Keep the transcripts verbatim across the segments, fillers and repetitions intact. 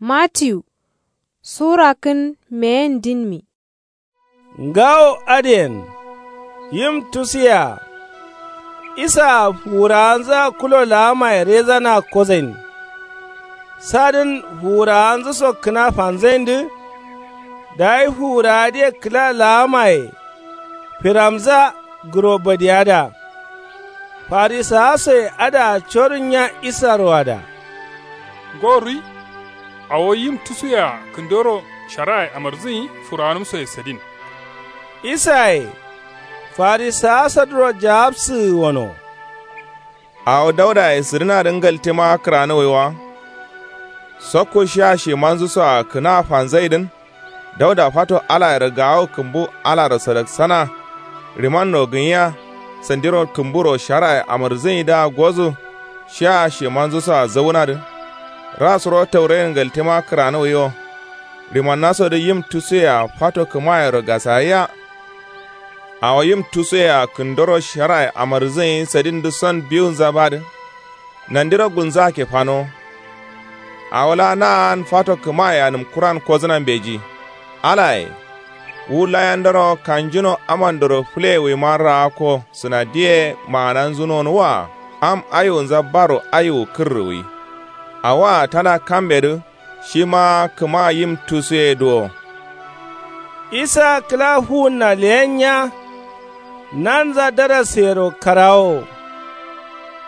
Matiyu sura kǝn meyen dinmi. Ngawo adǝyen yim tusuyea. Isaa fuwurawanzǝa kulo laamaye rezana kozain. Sadǝn fuwurawanzǝso kǝna fanzaindǝ. Dayi fuwurawadǝye kǝla laamaye firamza gǝro badiyada. Farisawasoye adǝa corǝnnya isaro ada. Ngo ruwi. Awo yim tusuyea kǝndoro sharaye amarzǝnyi fuwurawanǝmsoye sadin. Isaye farisawasadǝro jawabsǝgǝ wono. Awo daudaye sǝdǝnadǝ ngaltema kǝranǝwaiwa. Sokko shiya shimanzǝsoa kǝna fanzaidǝn. Dauda fato alayero gawo kǝmbu alaro sadaksana. Rimanno gǝnyiya. Sandiro kǝmburo sharaye amarzǝnyidǝa gozu. Shiya shimanzǝsoa zaunadǝ. Rasuro taurayero ngaltema kǝranǝwaiwo. Rimannasodǝ yim tusuyea fato kǝmayero gasayia. Awo yim tusuyea kǝndoro sharaye amarzǝnyi sadindǝson biwunza badǝ. Nandiro gulnzaa kefanowo. Awo laa na'an fato kǝmaye anǝm kuran kozǝna mbeji. Alaye wu layandoro kanjuno amandoro fǝleyewuima raakko sǝnadiye maananzǝ nonǝwwa. Am aiwunza baro aiwu kǝrrǝwui. Awoa tana kambedǝ. Shima kǝma yim tusuye duwo. Isa kǝla fuwunna leyennya. Nanza darasseyero karawowo.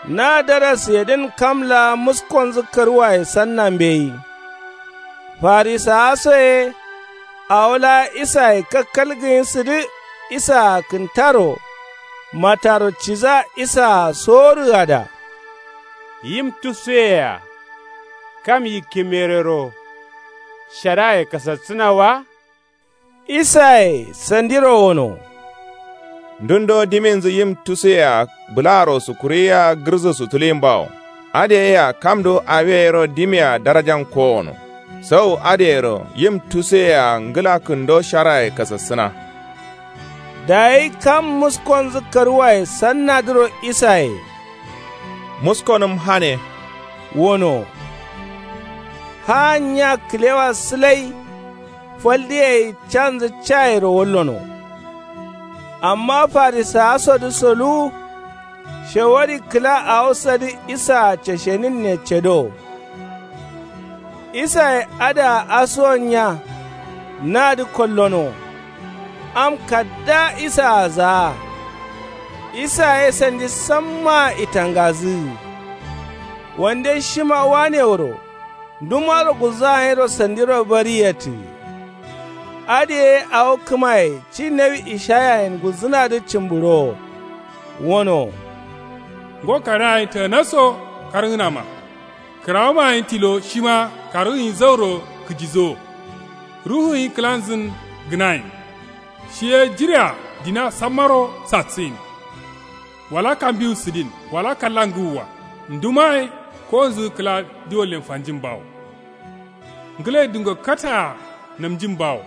Na darasseyedǝn kam laa muskonzǝ karwaye sanna mbeyi. Farisawasoye awo laa isaye kakkalgǝnyisǝdǝ. Isaa kǝntaro mataro ciza isaa sorǝgada. Yim tusuyeyea kam yikkimerero sharaye kasassǝna wa. Isaye sandiro wono. Ndundo diminzǝ yim tusuyea bǝlaaro sukuriyiya gǝrzǝ sutulin bawo. Adǝ yea kamdo awi yero dimia darajan kowono. Sau adǝ yero yim tusuyea ngǝla kǝndo sharaye kasassǝna. Dayi kam muskonzǝ karwaye sannadǝro isaye. Muskonǝm hane. Wono. Haa nya kǝlewa sǝlai. Faldǝ yai canzǝ cayero wallono. Amma farisawasodǝ soluwu. Shawari kǝla awo sadǝ isaa casheninne cado. Isaye adǝa asuwonnya. Nadǝ kollono. Am kaddaa isaa zaa. Isa ye sandi sammaa itangazǝgǝ. Wande shima wanewuro. Ndumaro gulzaa nyiro sandiro bari yetǝ. Adǝ ye awo kǝmaye ci nawi ishayayen gulzǝnadǝ cǝmbǝrowo. Wono. Ngo karayen tǝgǝna so kargǝnama. Kǝrawuma gǝnyi tilo shima kargǝnyi zauro kǝjizo. Ruhu gǝnyi kǝlanzǝn gǝnayin. Shi ye jirea dina sammaro sassǝyin. Wala kambiwu sǝdin wala kalla ngǝwwa. Ndumaye kowonzǝ kǝla diwallen fanjin bawo. Ngǝle dungo kataa namjin bawo.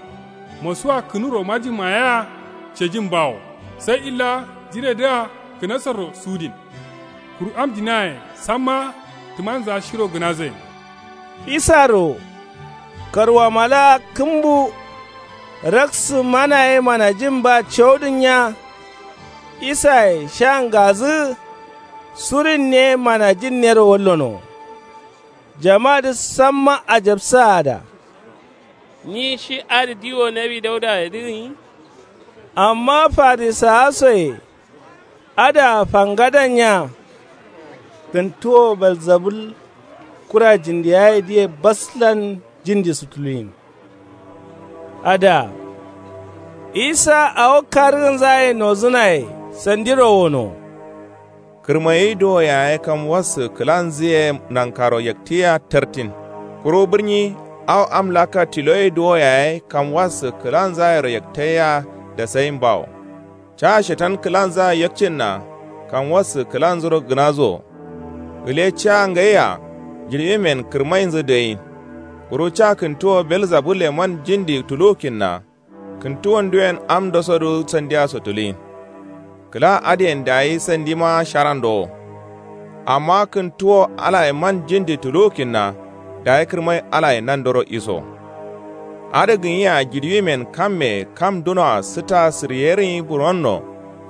Mosuwa kǝnuro majin mayea cejin bawo. Sai illa jiredǝa kǝnasarro sudin. Kuru am dinaye samma tǝmanzǝa shiro gǝnazain. Isaro karwama laa kǝmbu. Raksǝ mana ye manajin ba caudǝnnya. Isaye sha ngazǝ. Surinne manajinnero wallono. Jamadǝ samma ajabsǝa ada. Nyi shi adǝ diwo nawi daudayedǝ gǝnyi. Amma farisawasoye adǝa fangadannya. Kǝntuwo belzabul kura jindiyayedǝye baslan jindi sutuluyin. Ada isa awo kargǝnzaye nozǝnaye sandiro wono. Kǝrmayi duwo yaye kam wassǝ kǝlanzǝye nankaro yaktǝyia tartin. Kuru bǝrnyi awo am lakka tiloye duwo yaye kam wassǝ kǝlanzayero yaktayia dasayin bawo. Ca shetan kǝlanzaa yakcinna kam wassǝ kǝlanzuro gǝnazuwo. Gǝle ca ngaiya jirbimen kǝrmainzǝ dǝyin. Kuru ca kǝntuwo belzabul leman jindi tuluwukinna. Kǝntuwonduyen am ndosodǝ sandiyaso tuluyin. Kǝla adǝyen dayi sandima sharandowo. Amma kǝntuwo alaye man jindi tuluwukinna. Dayi kǝrmai alaye nandoro iso. Adǝ gǝnyiya jiɍiwimen kamme kam dunoa sǝta sǝryerǝnyi buronno.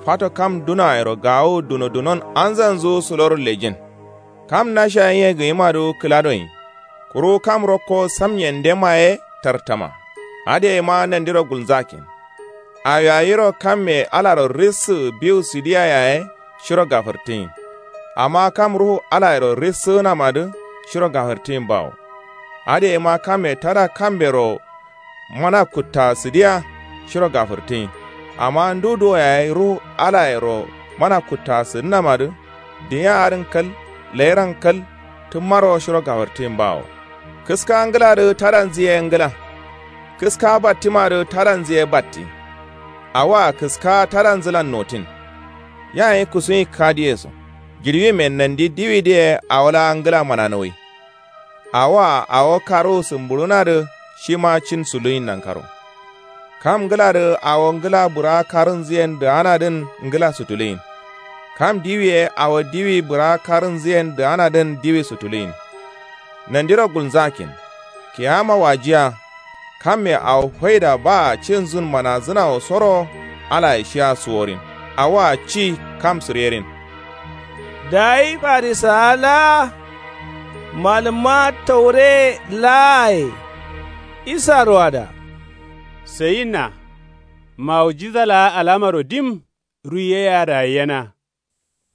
Fato kam dunoayero gawu dunodunon anzanzu sǝloro lejin. Kam nasha yiye gǝnyimadǝ kǝladonyi. Kuru kam rokko samnyendema ye tartama. Adǝ yema nandiro gulnzakin. Awiyayiro kamme alaro rissǝ biwu sǝdiya yaye shiro gafǝrtǝyin. Amma kam ruhu alayero rissǝgǝnamadǝ shiro gafǝrtǝyin bawo. Adǝ yema kamme tada kambero mana kutta sǝdiya shiro gafǝrtǝyin. Amma ndu duwo yaye ruhu alayero mana kutta sǝdǝnamadǝ. Dinya adǝn kal, lairan kal, tǝmmaro shiro gafǝrtǝyin bawo. Kǝska ngǝladǝ tadanzǝ ye ngǝla. Kǝska battimadǝ tadanzǝ ye batti. Awoa kǝska tadanzǝlan notin. Yayi kusuyi kadiye so. Jiɍiwimen nandi diwidǝ ye awo laa ngǝla mananǝwai. Awoa awo karuwu sǝmbuɍunadǝ shima cin suluyin nankaro. Kam ngǝladǝ awo ngǝla bǝraa karunzǝyen dǝganadǝn ngǝla sutuluyin. Kam diwi ye awo diwi bǝraa karunzǝyen dǝganadǝn diwi sutuluyin. Nandiro gulnzakin. Kiyama wajiya. Kamme awo faida baa cinzun manazǝna wo soro. Alaye shiya suworin. Awoa ci kam sǝrerin. Dayi farisawa laa malǝmma taure laaye isaro ada. Sayinna. Mawujiza laa alamaro dim ruiye yea dayi yena.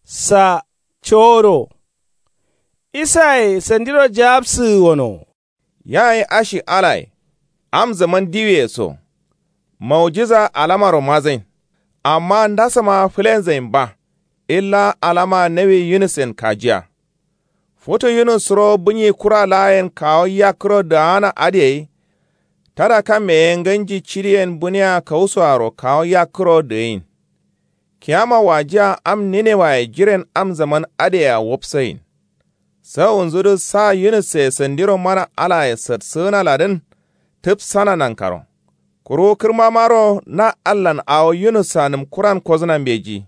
Sa coro. Isaye sandiro jawabsǝgǝ wono. Yayi ashi alaye. Am zaman diwiye so. Mawujiza alamaro mazain. Amma ndasoma fǝlenzain ba. Illa alama nawi yunusen kajiya. Futu yunus suro bǝnyi kura laayen kawo yakkǝro dǝgana adǝ gai. Tada kamme ye nganji cidiyen bǝniya kausoaro kawo yakkǝro dǝgain. Kiyama wajiya am ninewaye jiren am zaman adǝ yea wapsayin. Sawunzudǝ sa yunusse sandiro mana alaye satsǝgǝna ladǝn. Tǝpsana nankaro. Kuru kǝrmamaro na allan awo yunusa nǝmkuran kozǝna mbeji.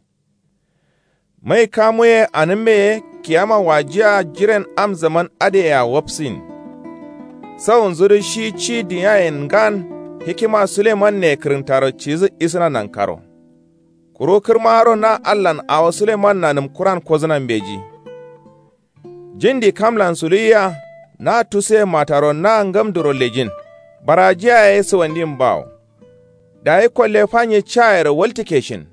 Mai kamu ye anǝmme ye kiyama wajiya jiren am zaman adǝ yea wapsin. Sawunzudǝ shi ci dǝnyayen ngan hikima sulemanne kǝrǝntaro cidǝ isǝna nankaro. Kuru kǝrmaro na allan awo sulemanna nǝmkuran kozǝna mbeji. Jindi kamlan suluwiya. Na tusuye mataro na ngamduro lejin. Barajiya ye suwandin bawo. Dayi kolle fanye cayero waltǝke shin.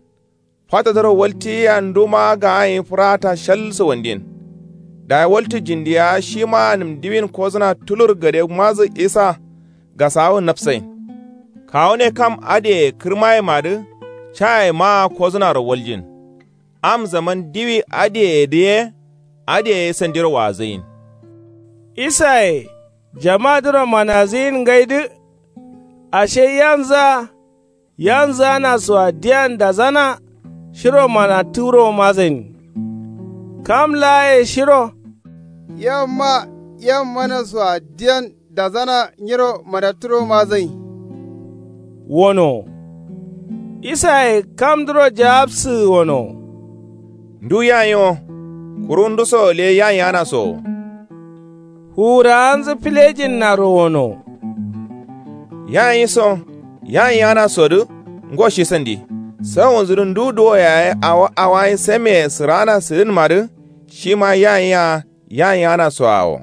Fatadǝro waltiyiya nduma ga'anyi fǝrata shal suwandin. Dayi waltǝ jindiya shima nǝm diwin kozǝna tulur gade mazǝ isa. Gasawu nafsain. Kawune kam adǝye kǝrmayemadǝ caye maa kozǝnaro waljin. Am zaman diwi adǝyeyedǝ ye adǝye sandiro wazǝgin. Isaye jamadǝro manazǝgin ngaidǝ. Ashe yanzǝa yanzǝgana soa diyan dazana. Shiro manaturo mazain. Kam laaye shiro yamma yammanasoa diyan dazana nyiro manaturo mazain. Wono. Isaye kamdǝro jawabsǝgǝ wono. Ndu yayinwo. Kuru nduso gǝle yayinganasowo. Fuwurawanzǝ filejinnaro wono. Yayinso yayinganasodǝ. Ngo shi sandi. Sawunzudǝ ndu duwo yaye awo awayin sameye sǝrana sǝdǝnmadǝ. Shima yayinya yayinganasoawo.